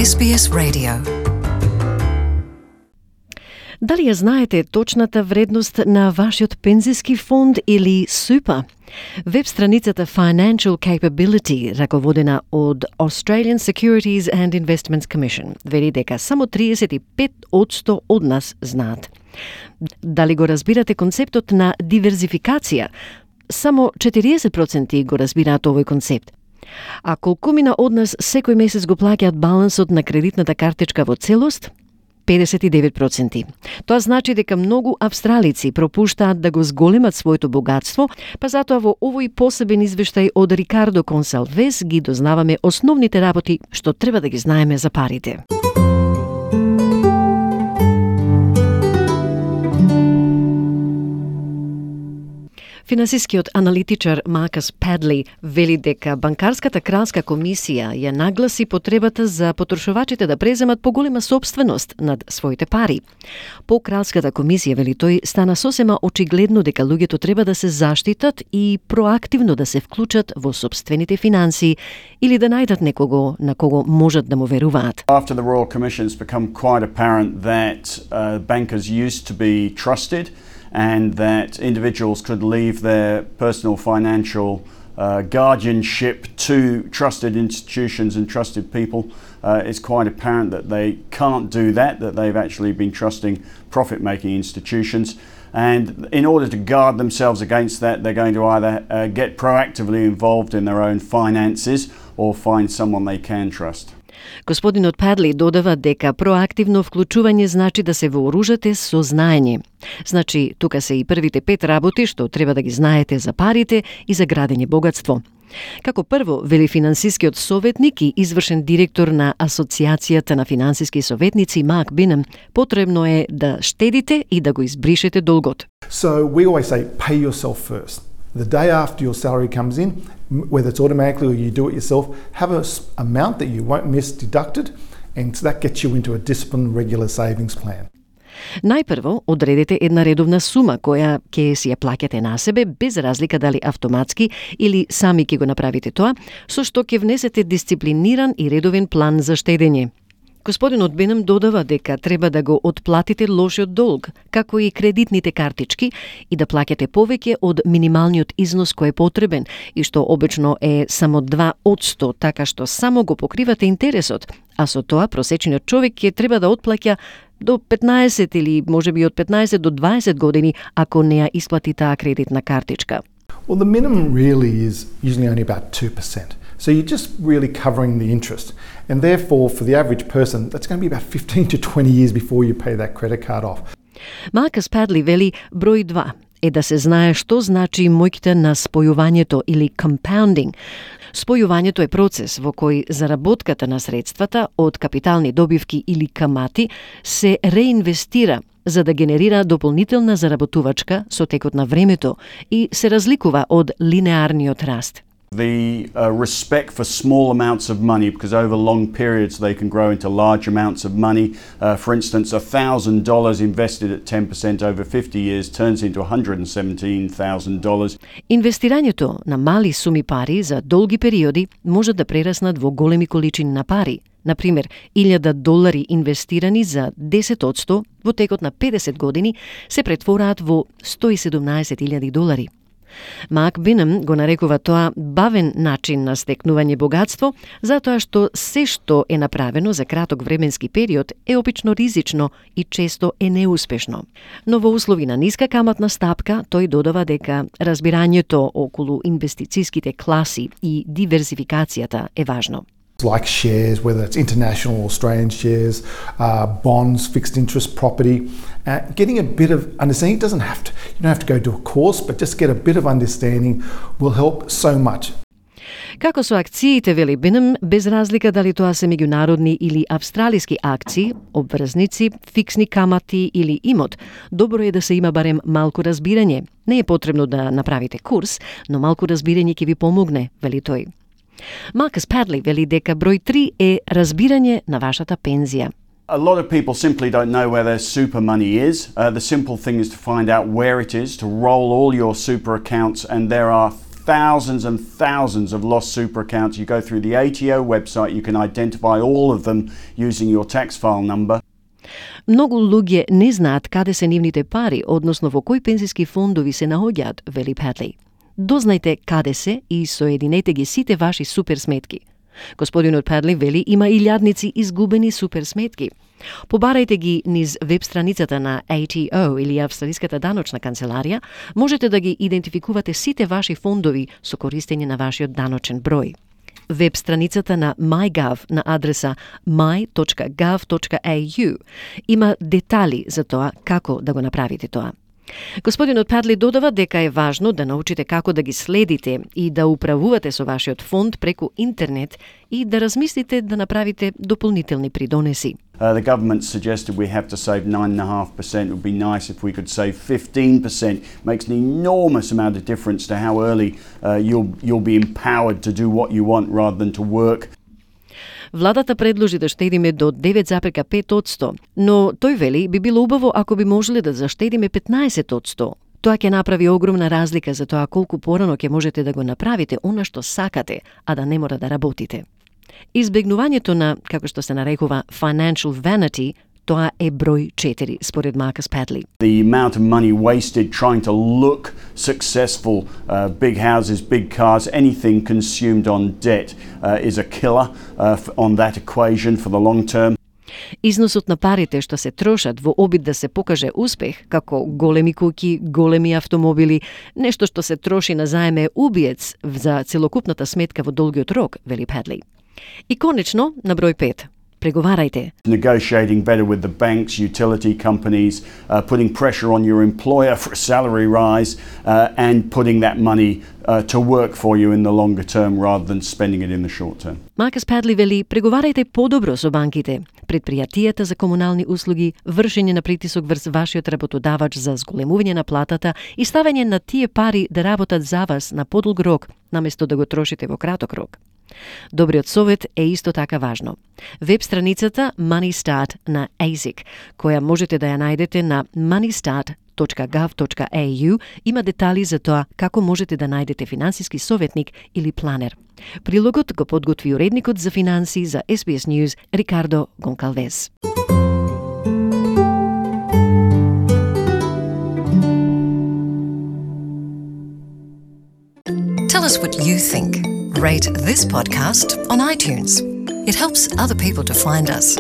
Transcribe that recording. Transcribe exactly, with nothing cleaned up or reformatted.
Ес Би Ес Radio. Дали ја знаете точната вредност на вашиот пензиски фонд или супа? Веб страницата Financial Capability, раководена од Australian Securities and Investments Commission, вели дека само триесет и пет одсто од нас знаат. Дали го разбирате концептот на диверзификација? Само четириесет проценти го разбираат овој концепт. А колкумина од нас секој месец го плаќаат балансот на кредитната картичка во целост? педесет и девет проценти. Тоа значи дека многу австралици пропуштаат да го зголемат своето богатство, па затоа во овој посебен извештај од Рикардо Консалвес ги дознаваме основните работи што треба да ги знаеме за парите. Финансискиот аналитичар Маркус Падли вели дека банкарската кралска комисија ја нагласи потребата за потрошувачите да преземат поголема собственост над своите пари. По кралската комисија, вели тој, стана сосема очигледно дека луѓето треба да се заштитат и проактивно да се вклучат во собствените финансии или да најдат некого на кого можат да му веруваат. After the Royal Commission, it's become quite apparent that uh, bankers used to be trusted and that individuals could leave their personal financial uh, guardianship to trusted institutions and trusted people. Uh, it's quite apparent that they can't do that, that they've actually been trusting profit-making institutions. And in order to guard themselves against that, they're going to either uh, get proactively involved in their own finances or find someone they can trust. Господинот Падли додава дека проактивно вклучување значи да се вооружате со знаење. Значи, тука се и првите пет работи што треба да ги знаете за парите и за градење богатство. Како прво, вели финансискиот советник и извршен директор на Асоциацијата на финансиски советници Марк Бинем, потребно е да штедите и да го избришете долгот. So we always say pay yourself first. The day after your salary comes in, whether it's automatically or you do it yourself, have an amount that you won't miss deducted, and that gets you into a disciplined regular savings plan. Најпрво, одредете една редовна сума која ќе си ја плаќате на себе, без разлика дали автоматски или сами ќе го направите тоа, со што ќе внесете дисциплиниран и редовен план за штедење. Господинот Бенем додава дека треба да го отплатите лошиот долг, како и кредитните картички, и да плаќате повеќе од минималниот износ кој е потребен и што обично е само два одсто, така што само го покривате интересот, а со тоа просечниот човек ќе треба да отплаќа до петнаесет или можеби од петнаесет до дваесет години ако не ја исплати таа кредитна картичка. Well, the minimum really is usually only about two percent. So you're just really covering the interest. And therefore, for the average person, that's going to be about fifteen to twenty years before you pay that credit card off. Маркус Падли вели број два е да се знае што значи моќта на спојувањето или compounding. Спојувањето е процес во кој заработката на средствата од капитални добивки или камати се реинвестира за да генерира дополнителна заработувачка со текот на времето и се разликува од линеарниот раст. The uh, respect for small amounts of money, because over long periods they can grow into large amounts of money. Uh, for instance, one thousand dollars invested at ten percent over fifty years turns into one hundred seventeen thousand dollars. Инвестирањето на мали суми пари за долги периоди може да прераснат во големи количини на пари. Например, илјада долари инвестирани за десет одсто во текот на педесет години се претвораат во сто и седумнаесет илјади долари. Марк Бинем го нарекува тоа бавен начин на стекнување богатство, затоа што се што е направено за краток временски период е опично ризично и често е неуспешно. Но во услови на ниска каматна стапка, тој додава дека разбирањето околу инвестициските класи и диверзификацијата е важно. Like shares, whether it's international or Australian shares, uh, bonds, fixed interest property, uh, getting a bit of understanding. It doesn't have to, you don't have to go to a course, but just get a bit of understanding will help so much. Како со акциите, вели Бинем, без разлика дали тоа се меѓународни или австралиски акции, обврзници, фиксни камати или имот, добро е да се има барем малку разбирање. Не е потребно да направите курс, но малку разбирање ќе ви помогне, вели тој. Маркус Падли вели дека број три е разбирање на вашата пензија. A lot of people simply don't know where their super money is. Uh, the simple thing is to find out where it is, to roll all your super accounts, and there are thousands and thousands of lost super accounts. You go through the A T O website, you can identify all of them using your tax file number. Многу луѓе не знаат каде се нивните пари, односно во кои пензиски фондови се наоѓаат, вели Падли. Дознајте каде се и соединете ги сите ваши супер сметки. Господинот Падли вели има илјадници изгубени супер сметки. Побарајте ги низ веб страницата на A T O или Австралиската даночна канцеларија, можете да ги идентификувате сите ваши фондови со користење на вашиот даночен број. Веб страницата на MyGov на адреса my dot gov dot a u има детали за тоа како да го направите тоа. Господинот Падли додава дека е важно да научите како да ги следите и да управувате со вашиот фонд преку интернет и да размислите да направите дополнителни придонеси. Uh, the government suggested we have to save nine point five percent. It would be nice if we could save fifteen percent. Makes an enormous amount of difference to how early uh, you'll, you'll be empowered to do what you want rather than to work. Владата предложи да штедиме до девет zarez пет одсто, но тој вели би било убаво ако би можеле да заштедиме петнаесет одсто. Тоа ќе направи огромна разлика за тоа колку порано ќе можете да го направите она што сакате, а да не мора да работите. Избегнувањето на, како што се нарекува, financial vanity, тоа е број четири, според Marcus Padley. The amount of money wasted trying to look successful, uh, big houses, big cars, anything consumed on debt uh, is a killer uh, on that equation for the long term. Износот на парите што се трошат во обид да се покаже успех, како големи куќи, големи автомобили, нешто што се троши на заеме убиец за целокупната сметка во долгиот рок, вели Падли. И конечно, на број пет. Преговарајте. Negotiating better with the banks, utility companies, uh, putting pressure on your employer for a salary rise uh, and putting that money uh, to work for you in the longer term rather than spending it in the short term. Маркус Падли вели, преговарајте подобро со банките, предпријатијата за комунални услуги, вршење на притисок врз вашиот работодавач за зголемување на платата и ставање на тие пари да работат за вас на подолг рок, наместо да го трошите во краток рок. Добриот совет е исто така важно. Веб страницата MoneyStart на A S I C, која можете да ја најдете на money start dot gov dot a u, има детали за тоа како можете да најдете финансиски советник или планер. Прилогот го подготви уредникот за финанси за S B S News Рикардо Гонкалвес. Tell us what you think. Rate this podcast on iTunes. It helps other people to find us.